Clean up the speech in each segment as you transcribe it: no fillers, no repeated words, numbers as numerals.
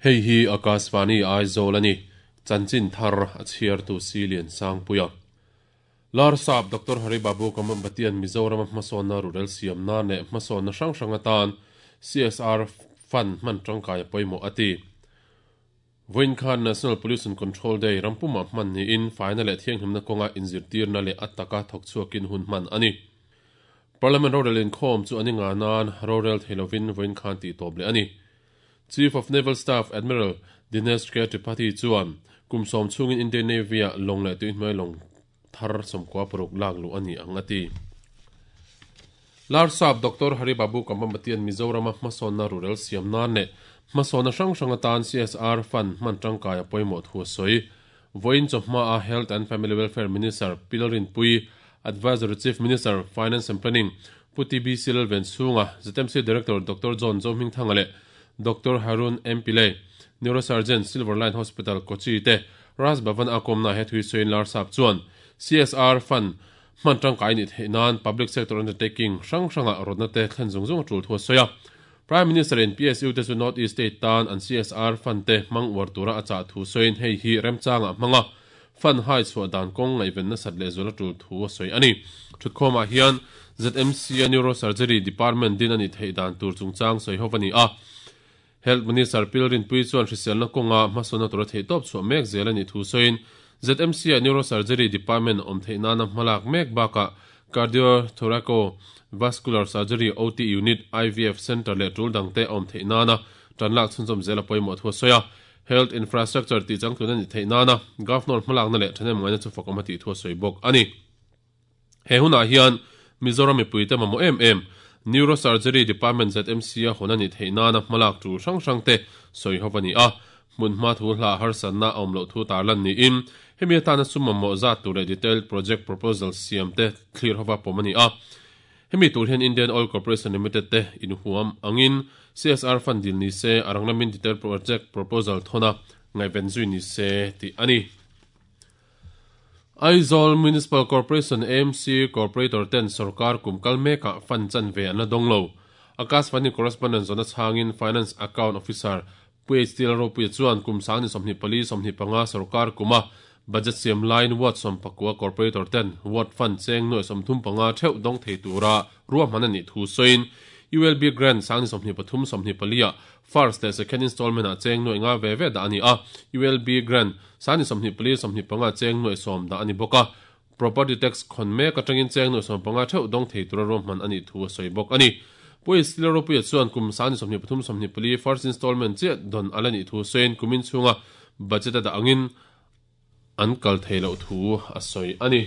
Hei hi Akashvani Aizawl a ni. Chanchin thar a chhiartu Silian Sangpuia. Larsap Doctor Hari Babu Kamambatian Mizorama hmasawnna rurel siam nan leh hmasawnna hrang hrang atan CSR Fund hman tangkai a pawimawh a ti. Vawiin khan National Pollution Control Day rampumah hman niin faina leh thianghlimna kawnga inzirtirna leh a taka thawk chhuakin hun hman a ni. Parliament rorel inkhawm chu an i ngah nan rorel thei lovin vawiin khan tih tawp leh a ni. Chief of Naval Staff Admiral Dinesh K Tripathi chuan kum sawm chhungin Indian Navy-ah lawng leh tuihnuai lawng thar 16 lak luh a ni ang a ti. Larsap Doctor Hari Babu Kambambatian Mizorama hmasawnna rurel siam nan leh hmasawnna hrang hrang atan CSR Fund hman tangkai a pawimawh thu a sawi. Vawiin chawhma a Health and Family Welfare Minister Pi Lalrinpuii, Advisory Chief Minister, Finance and Planning, Pu TBC Lalvenchhunga, ZMC Director Doctor John Zohmingthanga leh Doctor Harun M Pillay, Neurosurgeon, Silver Line Hospital, Kochi te Raj Bhavan a kawmna he thui sawiin Larsap chuan CSR Fund hman tangkai nih theih nan Public Sector Undertaking hrang hrangah rawtna te thlen zung zung a tul thu a sawi a. Prime Minister in PSU te chu North East State tan an CSR Fund te hmang uar tura a chah thu sawiin hei hi remchangah hmang a, Fund hai chhuah dan kawng ngaihven nasat lehzual a tul thu a sawi a ni. Thutkhawmah hian ZMC a Neurosurgery Department din a nih theih dan tur chungchang sawi ho a ni a. Health Minister Pil Rinpuii chuan hriselna kawnga hmasawnna tura theihtawp chhuah mek zel a nih thu sawiin ZMC ah Neurosurgery Department awm theih nana hmalak mek bakah Cardio-Thoraco Vascular Surgery OT Unit, IVF Centre leh tul dangte a awm theih nana tanlak chhunzawm zel a pawimawh thu a sawi a. Health Infrastructure tih changtlun a nih theih nana Governor hmalakna leh thahnemngaihna chu fakawm a tih thu a sawi bawk a ni. He hunah hian Mizoram mipuite mamawh em em Neurosurgery Department ZMC a hawn a nih theih nana hmalak tul hrang hrang te sawi ho a ni a. Hmunhma thu hla harsatna a awm loh thu tarlan niin hemi atana sum mamawh zat tur leh detailed project proposal siam te thlir hova pawm a ni a. Hemi tur hian Indian Oil Corporation Limited te inhuam angin CSR fund dil ni se a rang lamin detailed project proposal thawn a ngaihven zui ni se tih a ni. Aizawl Municipal Corporation, AMC, Corporator ten sorkar kum kal mekah fund chanve an la dawng lo. Akashvani Correspondent zawhna chhangin Finance Account Officer Pu HT Lalropuia chuan kum sangni 24 25 sorkar kuma budget siam laiin ward 19 Corporator ten ward fund cheng nuai 35 theuh dawng thei tura ruahman a nih thu sawiin ULB Grant sangni 23 24 ah First leh second installment ah cheng nuaih nga ve ve dah a ni a, ULB Grant sani 24 25 cheng nuaih sawm dah a ni bawk a, Property Tax khawn mek atangin cheng nuaih 15 theuh dawng thei tura ruahman a nih thu a sawi bawk a ni. Pu Isila Ropuia chuan kum sani 23 24 first installment chiah dawn a la nih thu sawiin kumin chhunga budget a dah angin an kal thei loh thu a sawi a ni.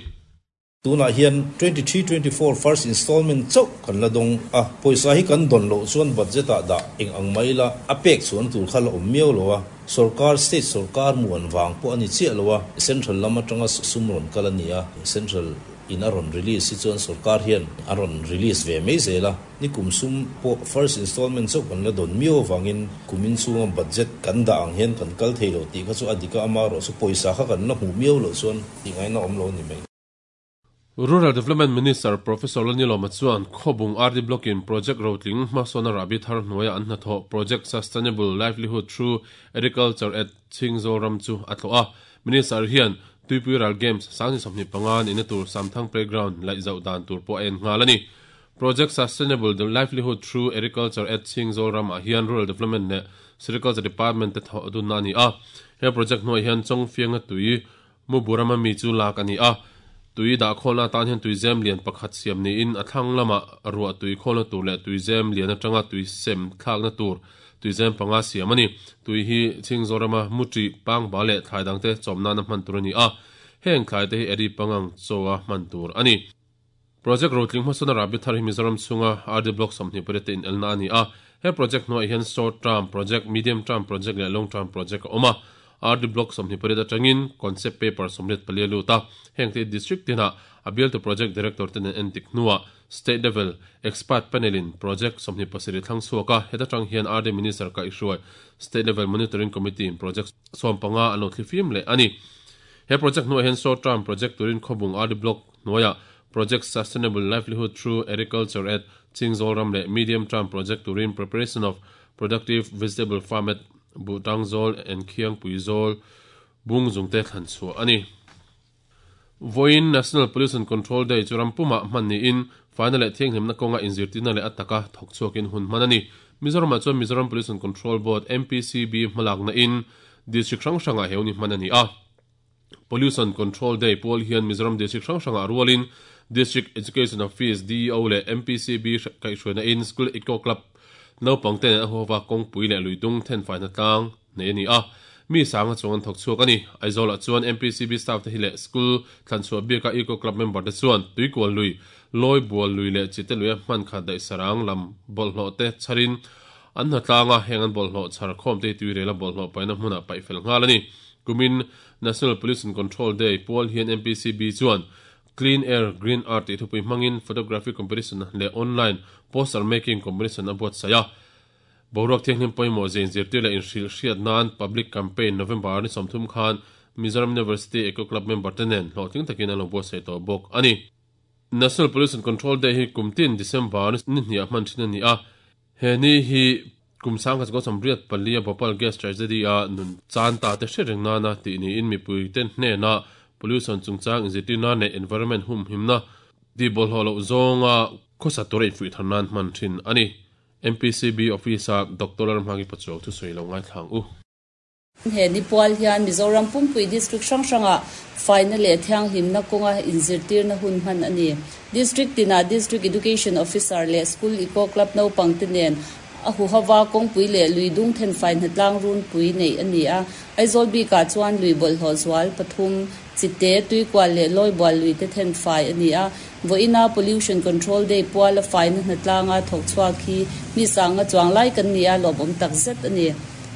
Tunah hian 23-24 first installment chauh kan la dawng a, pawisa hi kan dawn loh chuan budget ah dah eng ang mai ila a pek chhuan tur kha la awm miau lo a, sorkar state sorkar muan vang pawh a ni chiah lo a, central lam atanga sum rawn kal a ni a, central in a rawn release hi chuan sorkar hian a rawn release ve mai zel a, ni kum sum pawh first installment chauh kan la dawn miau avangin kumin chhunga budget kan dah ang hian kan kal thei lo tih kha chu a dik a, amaherawhchu pawisa kha kan la hmuh miau loh chuan tih ngaihna awm lo a ni mai. Rural Development Minister Professor Lalnilawma chuan Khawbung RD Block-in project rotling hmasawn a rahbi thar hnuaia an hnathawh Project Sustainable Livelihood Through Agriculture at Chhingzawl ram chu a tlawh a. Minister hian Tuipui Ral Games 2025 nihna tur Samthang Playground laih zauh dan tur pawh a en nghal a ni. Project Sustainable Livelihood Through Agriculture at Chhingzawl ramah hian Rural Development leh Sericulture Department te thawh dunna a ni a. He project hnuaiah hian Chawngfianga tui Muburama mi chu lak a ni a, tui dah khawlna atan hian tuizem lian pakhat siam niin a thlang lamah ruah tui khawlna tur leh tuizem lian atanga tui sem thlakna tur tuizem panga siam a ni. Tui hi Chhingzawrama Muṭi, Pangba leh thlai dangte chawm nana hman tur a ni a, heng thlai te hi Eri pangang chawa hman tur a ni. Project rotling hmasawna rahbi thar hi Mizoram chhunga RD Block 28 te inelna a ni a. He project hnuaiah hian Short Term Project, Medium Term Project leh Long Term Project a awm a. RD Block 28 atangin Concept Paper 44 a lut a. Heng te hi District tinah a bialtu Project Director ten an endik hnuah State Level Expert Panel in Project 27 thlang chhuak a. Heta tang hian RD Minister kaihhruai State Level Monitoring Committee in Project 15 an lo thlifim leh a ni. He project hnuaiah hian short term project turin Khawbung RD Block hnuaiah Project Sustainable Livelihood Through Agriculture at Chingzawl ram leh medium term project turin Preparation of Productive Vegetable Farm at Buhtangzawl and Khiangpuizawl bung zungte thlan chhuah a ni. Vawiin National Pollution Control Day chu ram pumah hman niin faina leh thianghlimna kawnga inzirtirna leh a taka thawk chhuakin hun hman a ni. Mizoramah chuan Mizoram Pollution Control Board, MPCB, hmalakna in District hrang hrangah he hun hi hman a ni a. Pollution Control Day pual hian Mizoram District hrang hrangah rualin District Education Office, DEO, leh MPCB kaihhruaina in School Eco Club naupang te nen a huhova kawngpui leh luidung thenfaina tlang nei a ni a, mi sanga chuang an thawk chhuak a ni. Aizawlah chuan MPCB staff te hi leh school thlanchhuah bika Eco Club member te chuan Tuikual lui, Lawi Bual lui leh Chite luia hman khat daih sarang lam bawlhhlawh te chharin an hna tlang a, heng an bawlhhlawh chhar khawm te hi tuirela bawlhhlawh paihna hmunah paih fel nghal a ni. Kumin National Pollution Control Day pual hian MPCB chuan Clean Air, Green Earth tih thupui hmangin Photography Competition leh Online Poster Making Competition a buatsaih a. Boruak thianghlim pawimawh zin zirtir leh inhrilh hriat nan Public Campaign November ni 30 khan Mizoram University Eco Club member te nen hlawhtling takin an lo buatsaih tawh bawk a ni. National Pollution Control Day hi kum tin December ni hniah hman thin a ni a, he ni hi kum 1984 a Bhopal Gas Tragedy a nun chan ta te hriat reng nana tih niin mipui te hnena pollution chungchang inzirtir nan leh environment humhimna tih bawlhhlawh loh zawnga khawsa tura infuih thar nan hman thin a ni. MPCB Office-a Doctor Lalhmangi Pachuau thusawi lo ngaithla ang u. He ni pual hian Mizoram pumpui District hrang hrangah faina leh thianghlimna kawnga inzirtirna hun hman a ni. District tinah District Education Officer leh School Eco Club naupangte nen a huhova kawngpui leh lui dung thenfai hnatlang runpui neih a ni a. Aizawl bikah chuan lui bawlhhlawh zual pathum, Chite, Tuikual leh Lawibual luite thenfai a ni a. Vawiina Pollution Control Day puala faina hnatlanga thawk chhuak hi mi sanga chuang lai kan ni a, lawmawm tak zet a ni.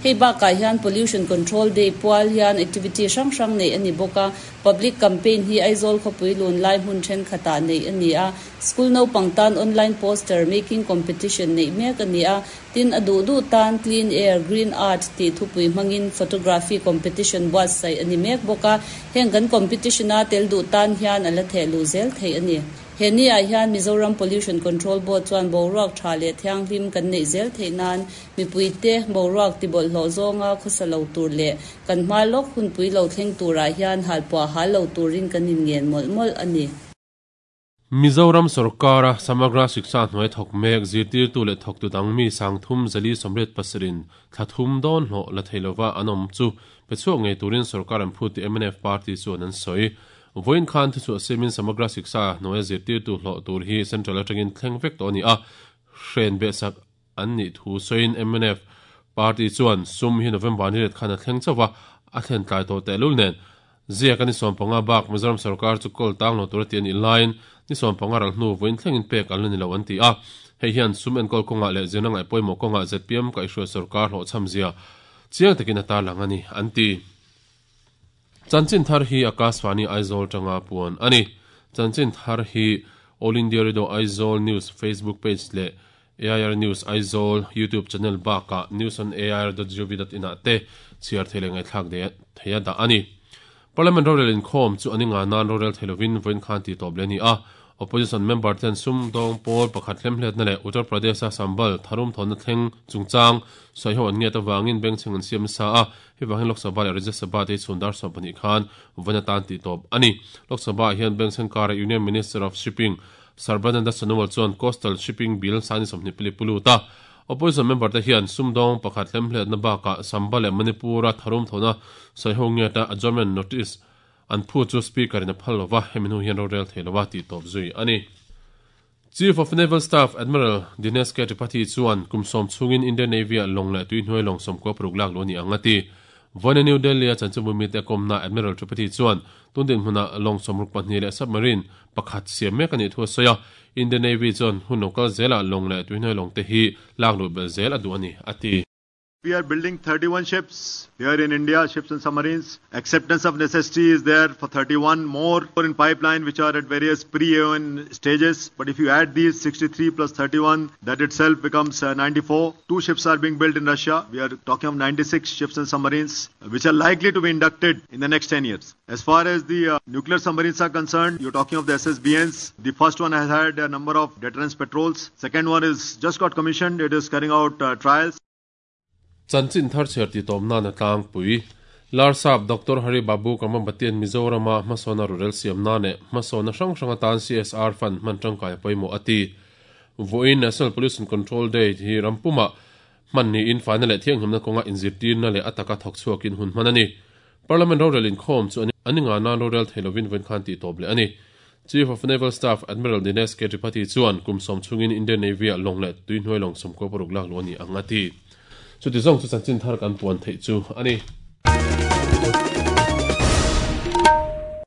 Hei bakah hian Pollution Control Day pual hian activity hrang hrang neih a ni bawk a, Public Campaign hi Aizawl khawpui lun lai hmun thenkhatah neih a ni a, School naupang tan online poster making competition neih mek a ni a, tin a duh duh tan Clean Air, Green Earth tih thupui hmangin photography competition buatsaih a ni mek bawk a, heng kan competition-a tel duh tan hian a la theh luh zel theih a ni. He ni ah hian Mizoram Pollution Control Board chuan boruak tha leh thianghlim kan neih zel theih nan mipuite boruak tibawlhhlawh zawnga khawsa lo tur leh kan hma lawk hunpui lo thleng turah hian halpuah hal lo turin kan inngen mawlh mawlh a ni. Mizoram sawrkara Samagra Shiksha hnuai thawk mek zirtirtu leh thawktu dang mi sangthum zali sawmriat pasarih thla thum dawn hlawh la thei lova an awm chu pe chhuak ngei turin sawrkar an phut tih mnf party chuan an sawi. Vawiin khan thuchhuah siamin Samagra Shiksha hnuaia zirtirtu hlawh tur hi Central atangin thleng vek tawh a ni a, hren behsak an nih thu sawiin mnf party chuan sum hi November ni ret khan a thleng chauh va, a thlen tlai tawh tehlul nen. Ziaka ni 15 bak Mizoram sawrkar chu kawl tang lo tura ti a nih laiin ni 15 ral hnu vawiin thlengin pek an la ni lo an ti a. Hei hian sum enkawl kawngah leh zirna ngaihpawimawh kawngah zpm kaihhruai sawrkar hlawhchham zia chiang takin a tarlang a ni an ti. Chanchin thar hi Akashvani Aizawl tanga puan a ni. Chanchin thar hi All India Radio Aizawl News Facebook page leh AIR News Aizawl YouTube channel bakah newsonair.gov.in ah te chhiar thei leh ngaihthlak theia dah a ni. Parliament rorel inkhawm chu an inga nan rorel thei lovin vawiin khan tih tawp leh a ni a. Opposition member ten sumdawng pawl pakhat hlemhletna leh Uttar Pradesh-a sambal tharum thawnna thleng chungchang sawiho an ngiat avangin bengchheng an siam nasa a. Hei vangin Lok Sabha leh Rajya Sabha te hi chhun dar 12 khan vawiin atan tih tawp a ni. Lok Sabha-ah hian bengchheng kara Union Minister of Shipping Sarbananda Sonowal chuan Coastal Shipping Bill sani 20 pali pu lut a. Opposition member te hian sumdawng pakhat hlemhletna bakah Samba leh Manipur-a tharum thawhna sawiho ngiata adjournment notice an phu chu Speaker in a phal lova, hemi hnu hian rorel thei lova tih tawp zui a ni. Chief of Naval Staff Admiral Dinesh K Tripathi chuan kum sawm chhungin Indian Navy-ah lawng leh tuihnuai lawng 96 lak luh a ni ang a ti. Vawiina New Delhi-a chanchinbu mite kawmna Admiral Tripathi chuan tun dinhmunah lawng 62 leh submarine pakhat siam mek a nih thu a sawi a, Indian Navy chuan hun lo kal zelah lawng leh tuihnuai lawng te hi lak luh belh zel a duh a ni, a ti. We are building 31 ships here in India, ships and submarines. Acceptance of necessity is there for 31 more in pipeline, which are at various pre-AON stages. But if you add these 63 plus 31, that itself becomes 94. Two ships are being built in Russia. We are talking of 96 ships and submarines, which are likely to be inducted in the next 10 years. As far as the nuclear submarines are concerned, you're talking of the SSBNs. The first one has had a number of deterrence patrols. Second one is just got commissioned. It is carrying out trials. Chanchin thar chhiar ti tawm nana tlangpui. Larsap Doctor Hari Babu Kambhampatian Mizorama hmasawna rurel siam nane hmasawna hrang hrang atan CSR fund hman tangkai pawimawh a ti. Vawiin National Pollution Control Day hi rampuma hman niin faina leh thianghlimna kawnga inzirtirna leh a taka thawk chhuakin hun hman a ni. Parliament rorel inkhawm chu ani nga nan rorel thei lovin vawiin khan tih tawp leh a ni. Chief of Naval Staff Admiral Dinesh K Tripathi chuan kum sawm chungin Indian Navy-ah lawng leh tuihnuai lawng 96 lak luh a ni ang a ti. Chuti zawng chu chanchin thar kan puan theih chu a ni.